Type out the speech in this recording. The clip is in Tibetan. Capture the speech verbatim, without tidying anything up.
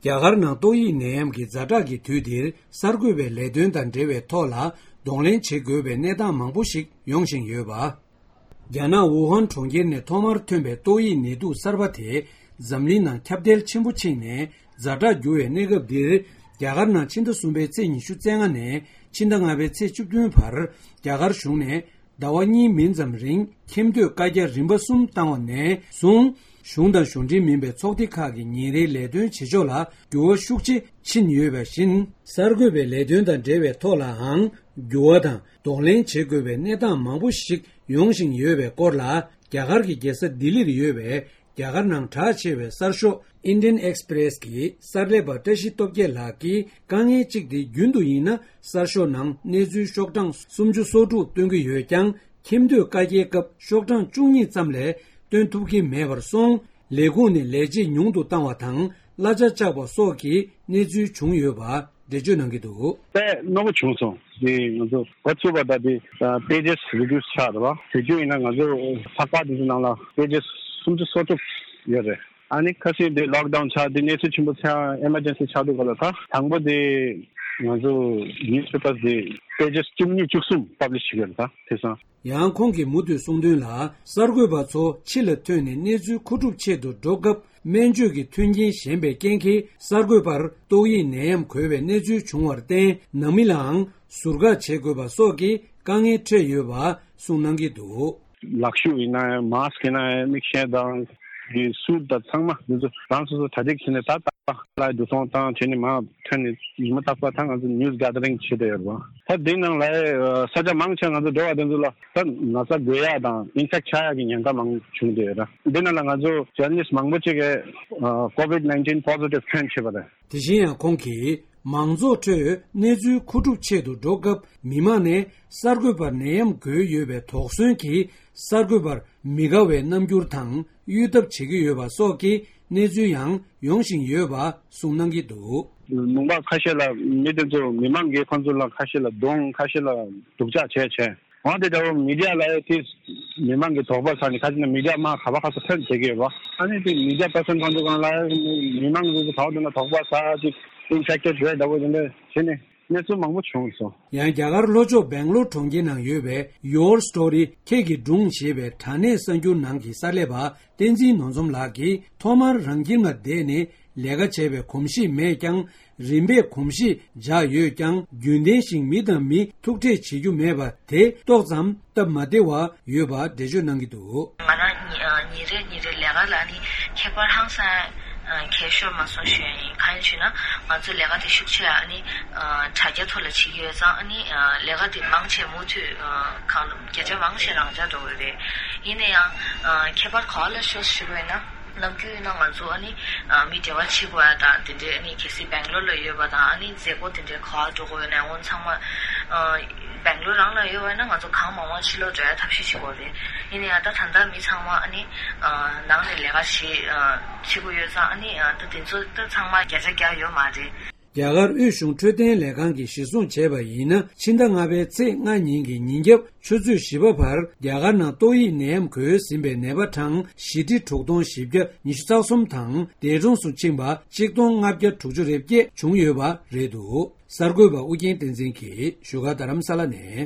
རྒྱ་གར་ནང་ཏོག་དབྱིབས་ནད་ཡམས་ཀྱི་ཛ་དྲག་གི་དུས་འདིར་གསར་འགོད་པའི་ལས་དོན་དང་འབྲེལ་བའི་ཐོག་ལ་གདོང་ལེན་བྱེད་དགོས་པའི་གནས་སྟངས་མང་པོ་ཞིག་ཡོང་བཞིན་ཡོད་པ། རྒྱ་ནག་ཝུ་ཧན་གྲོང་ཁྱེར་ནས་ཐོག་མར་ཐོན་པའི་ཏོག་དབྱིབས་ནད་དུག་གསར་པ་དེ་འཛམ་གླིང་ནང་ཁྱབ་གདལ་ཆེན་པོ་ཕྱིན་ནས་ཛ་དྲག་འགྱུར་བའི་གནས་སྐབས་འདིར། རྒྱ་གར་ནང་ཕྱི་ཟླ་གསུམ་པའི་ཚེས་ཉི་ཤུ་རྩ་ལྔ་ནས་ཕྱི་ཟླ་ལྔ་པའི་ཚེས་བཅུ་བདུན་བར་རྒྱ་གར་གཞུང་ནས་ཟླ་བ་གཉིས་མིན་ཙམ་རིང་ཁྱིམ་སྡོད་བཀའ་རྒྱ་རིམ་པ་གསུམ་བཏང་བ་ནས་བཟུང་། གཞུང་དང་གཞུང་འབྲེལ་མིན་པའི་ཚོགས་སྡེ་ཁག་གི་ཉིན་རེའི་ལས་དོན་བྱེད་ཕྱོགས་ལ་འགྱུར་བ་ཤུགས་ཆེ་ཕྱིན་ཡོད་པ་བཞིན། གསར་འགོད་པའི་ལས་དོན་དང་འབྲེལ་བའི་ཐོག་ལའང་འགྱུར་བ་དང་གདོང་ལེན་བྱེད་དགོས་པའི་གནས་སྟངས་མང་པོ་ཞིག་ཡོང་བཞིན་ཡོད་པའི་སྐོར་ལ། རྒྱ་གར་གྱི་རྒྱལ་ས་ལྡི་ལིར་ཡོད་པའི་རྒྱ་གར་ནང་གྲགས་ཆེ་བའི་གསར་ཤོག་Indian Express་གི་གསར་ལས་པ་བཀྲ་ཤིས་སྟོབས་རྒྱལ་ལགས་ཀྱིས། དཀའ་ངལ་གཅིག་དེ་རྒྱུན་དུ་ཡིན་ན་གསར་ཤོག་ནང་གནས་ཚུལ་ཤོག་གྲངས་སུམ་ཅུ་སོ་དྲུག་བཏོན་གྱི་ཡོད་ཀྱང་། ཁྱིམ་སྡོད་བཀའ་རྒྱའི་སྐབས་ཤོག་གྲངས་བཅུ་གཉིས་ཙམ་ལས་བཏོན་ཐུབ་ཀྱི་མེད་པར་སོང་། ལས་ཁུངས་ནས་ལས་བྱེད་ཉུང་དུ་བཏང་བ་དང་གླ་ཆ་བཅག་པ་སོགས་ཀྱི་གནས་ཚུལ་བྱུང་ཡོད་པ་འགྲེལ་བརྗོད་གནང་གི་འདུག་དཔེ་རྣོ་པོ་བྱུང་སོང་། དེ་ང་ཚོ་འགོ་ཚུགས་པ་ད་དེ་pages reduce་ཆགས་རེད་བ། དེ་རྒྱུ་ཡིན་ན་ང་ཚོ་ཚགས་པར་དེ་ཚོ་ནང་ལ་pages་སུམ་ཅུ་སོ་དྲུག་ཡོད་རེད། ཨ་ནི་ཁ་སང་དེ་lockdown་ཆགས་དེ་གནས་ཚུལ་ཆེན་པོ་ཆགས་emergency་ཆགས་དུས་ག་ལ་ད་དང་པོ་དེ་ང་ཚོ་newspapers་དེ་pages་བཅུ་གཉིས་བཅུ་གསུམ་publish་བྱེད་ཀྱི་རེད། ད་དེང་སང་། ཡང་ཁོང་གིས་མུ་མཐུད་གསུངས་དོན་ལ། གསར་འགོད་པ་ཚོ་ཕྱི་ལ་ཐོན་ནས་གནས་ཚུལ་མཁོ་སྒྲུབ་ཆེད་དུ་འགྲོ་སྐབས་སྨན་བཅོས་ཀྱི་མཐུན་རྐྱེན་ཞན་པའི་རྐྱེན་གྱིས། གསར་འགོད་པར་ཏོག་དབྱིབས་ནད་ཡམས་འགོས་པའི་གནས་ཚུལ་བྱུང་བར་བརྟེན། ནང་མི་ལའང་ཟུར་བཀག་བྱེད་དགོས་པ་སོགས་ཀྱི་དཀའ་ངལ་འཕྲད་ཡོད་པ་གསུངས་གནང་གི་འདུག་ལག་ཤུབས་ཡིན་ན་ཡང་mask་ཡིན་ན་ཡང་མིག་ཤེལ་དང་། གི་suit་དང་ཚང་མ་འདི་ཚོ་རང་སོ་སོ་གྲ་སྒྲིག་བྱས་ནས་ད་ལྟ་ལ་འདུ་ཚོང་བཏང་བྱས་ནས་མར་ཐོན་ནས་ཉི་མ་རྟག་པར་ད་ང་ཚོ་news gathering་བྱེད་བསྡད་ཡོད་རེད་བ། ད་འདི་ནང་ལ་ས་ཆ་མང་ཆེ་ང་ཚོ་འགྲོ་བ་དེ་ཚོ་ལ་ད་ན་ཚ་འགོས་ཡག་དང་infect་ཆགས་ཡག་གི་ཉེན་ཁ་མང་བྱུང་བསྡད་ཡོད་ར། འདི་ནང་ལ་ང་ཚོ་journalist་མང་པོ་ཅིག་གིས་COVID nineteen positive་ཐོན་བྱས་པ་རེད། དེ་བཞིན་ཡང་ཁོང་གིས། མང་ཚོགས་ཁྲོད་གནས་ཚུལ་མཁོ་སྒྲུབ་ཆེད་དུ་འགྲོ་སྐབས་མི་མང་ནས་གསར་འགོད་པར་ནད་ཡམས་འགོས་ཡོད་པའི་དོགས་ཟོན་གྱིས་གསར་འགོད་པར་མི་དགའ་བའི་རྣམ་འགྱུར་དང་གཡོལ་ཐབས་བྱེད་ཀྱི་ཡོད་པ་སོགས་ཀྱི་གནས་ཚུལ་ཡང་ཡོང་བཞིན་ཡོད་པ་གསུངས་གནང་གི་འདུག་ལུང་པ་ཁ་ཤས་ལ་མི་དེ་ཚོ་མི་མང་གིས་ཁོང་ཚོ་ལ་ཁ་ཤས་ལ་རྡུང་ཁ་ཤས་ལ་སྡུག་ཅག་བྱས་བྱས། འོ་དེ་འདྲ་བོ་མི་ཌི་ཡ་ལ་དེ་མི་མང་གི་དོགས་པ་ཟ་ནས་ཁ་ཅིག་ན་མི་ཌི་ཡ་མང་ག་བ་ཁ་ས་ཐོན་བྱེད་ཀྱི་ཡོད་པ། ཨ་ནི་དེ་མི་ཌི་ཡ་པར་སན་ཁོང་ཚོ་གང་ལ་མི་མང་གི་དོགས་དེ་ན་དོགས་པ་ཟ་ཅིག་infected་རེད་འདྲ་བོ་དེ་འདྲ་བྱས་ནས་གནས་ཚུལ་མང་པོ་བྱུང་སོང་། ཡང་རྒྱ་གར་ལྷོ་ཕྱོགས་སྦེང་ལོར་གྲོང་ཁྱེར་ནང་ཡོད་པའི་Your Story་ཁྱེད་ཀྱི་སྒྲུང་ཞེས་པའི་དྲ་གནས་གསར་འགྱུར་ནང་གི་གསར་ལས་པ་བསྟན་འཛིན་ནོར་འཛོམས་ལགས་ཀྱིས་ཐོག་མར་རང་ཁྱིམ་ལ་བསྡད་ནས་ལས་ཀ་བྱས་པའི་གོམས་གཤིས་མེད་ཀྱང་། རིམ་པས་གོམས་གཤིས་འཇགས་ཡོད་ཀྱང་། རྒྱུན་ལྡན་ཞིག་མི་དང་མི་ཐུག་འཕྲད་བྱེད་རྒྱུ་མེད་པ་དེ་ཏོག་ཙམ་སྟབས་མ་བདེ་བ་ཡོད་པ་འགྲེལ་བརྗོད་གནང་གི་འདུག་ང་རང་ཉི་ཉིན་རེ་ཉིན་རེ་ལས་ཀ་ལ་ནི་ཁྱད་པར་ཧང་སང་ཁྱད་ཤོར་མ་སོང་ཞུ་ཡ་ཡིན། གང་ཡིན་ཞུས་ན་ང་ཚོ་ལས་ཀ་དེ་ཤུགས་ཆེ་ཨ་ནི་དྲ་རྒྱ་ཐོག་ལ་བྱེད་ཀྱི་ཡོད་ཙང་ཨ་ནི་ལས་ཀ་དེ་མང་ཆེ་མུ་མཐུད་གང་བརྒྱ་ཆ་མང་ཆེ་རང་འཇགས་འགྲོ་གི་རེད། ཡིན་ན་ཡང་ཁྱད་པར་ག་བ་ལ་ཤོར་ཞུ་དགོས་ན། ནམ་རྒྱུན་ཡིན་ན་ང་ཚོ་ཨ་ནི་མི་འབྲེལ་བ་བྱེད་དགོས་ཡ་དང་དེ་འདྲའི་ཨ་ནི་གལ་སྲིད་སྦེང་ལོར་ལ་ཡོད་པ་དང་ཨ་ནི་མཛད་སྒོ་དེ་འདྲའི་ག་བ་འགྲོ་དགོས་ཡོད་ན་འོ་ཚང་མ་སྦེང་ལོར་རང་ལ་ཡོད་པ་ཡིན་ན་ང་ཚོ་གང་མང་མང་ཕྱི་ལོགས་འགྲོ་ཡ་ཐབས་ཤེས་བྱེད་དགོས་རེད། ཡིན་ན་ཡང་ད་ད་ལྟ་མི་ཚང་མ་ཨ་ནི་ནང་ནས་ལས་ཀ་བྱེད་བྱེད་དགོས་ཡོད་ཙང་ཨ་ནི་ད་དེ་ཚོ་ད་ཚང་མ་བརྒྱ་ཆ་བརྒྱ་ཡོད་མ་རེད། རྒྱ་གར་དབུས་གཞུང་འཕྲོད་བསྟེན་ལས་ཁང་གིས་གཞིར་བཟུང་བྱས་པ་ཡིན་ན། ཕྱི་ཟླ་ལྔ་པའི་ཚེས་ལྔ་ཉིན་གྱི་ཉིན་རྒྱབ་ཆུ་ཚོད་བཞི་པ་བར་རྒྱ་གར་ནང་ཏོག་དབྱིབས་ནད་ཡམས་འགོས་ཟིན་པའི་ནད་པ་གྲངས་བཞི་ཁྲི་དྲུག་སྟོང་བཞི་བརྒྱ་ཉི་ཤུ་རྩ་གསུམ་དང་། འདས་གྲོངས་སུ་ཕྱིན་པ་གཅིག་སྟོང་ལྔ་བརྒྱ་དྲུག་ཅུ་རེ་བརྒྱད་བྱུང་ཡོད་པ་རེད་འདུག་གསར་འགོད་པ་ཨུ་རྒྱན་བསྟན་འཛིན་གྱིས་བཞུགས་སྒར་རྡ་རམ་ས་ལ་ནས།